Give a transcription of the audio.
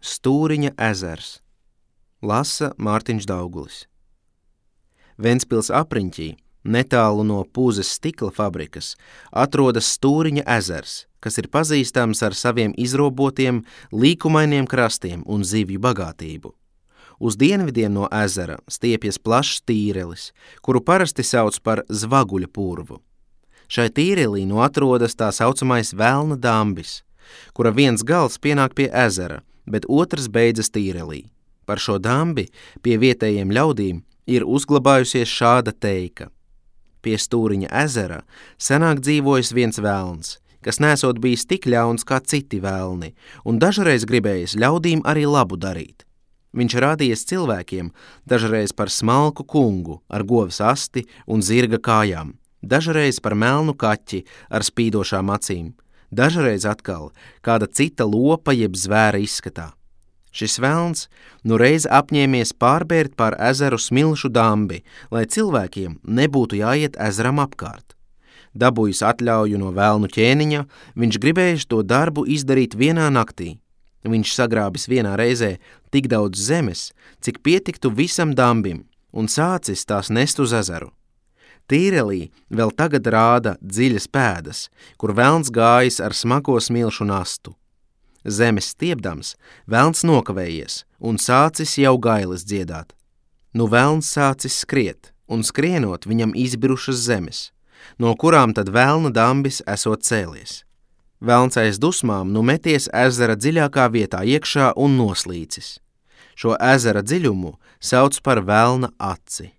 Stūriņa ezers. Lasa Mārtiņš Daugulis. Ventspils apriņķī, netālu no Pūzes stikla fabrikas, atrodas Stūriņa ezers, kas ir pazīstams ar saviem izrobotiem, līkumainiem krastiem un zivju bagātību. Uz dienvidiem no ezera stiepjas plašs tīrelis, kuru parasti sauc par Zvaguļa purvu. Šai tīrelī atrodas tā saucamais Velna dambis, kura viens gals pienāk pie ezera, bet otrs beidzas tīrelī. Par šo dambi pie vietējiem ļaudīm ir uzglabājusies šāda teika. Pie Stūriņa ezera senāk dzīvojis viens velns, kas nesot bijis tik ļauns kā citi velni, un dažreiz gribējis ļaudīm arī labu darīt. Viņš rādījies cilvēkiem dažreiz par smalku kungu ar govs asti un zirga kājām, dažreiz par melnu kaķi ar spīdošām acīm, dažreiz atkal kāda cita lopa jeb zvēra izskatā. Šis velns reiz apņēmies pārbērt pār ezeru smilšu dambi, lai cilvēkiem nebūtu jāiet ezeram apkārt. Dabūjis atļauju no velnu ķēniņa, viņš gribējis to darbu izdarīt vienā naktī. Viņš sagrābis vienā reizē tik daudz zemes, cik pietiktu visam dambim, un sācis tās nest uz ezeru. Tīrelī vēl tagad rāda dziļas pēdas, kur velns gājis ar smago smilšu nastu. Zemes stiepdams, velns nokavējies un sācis jau gailes dziedāt. Nu velns sācis skriet, un skrienot viņam izbirušas zemes, no kurām tad velna dambis esot cēlies. Velns aiz dusmām meties ezera dziļākā vietā iekšā un noslīcis. Šo ezera dziļumu sauc par velna aci.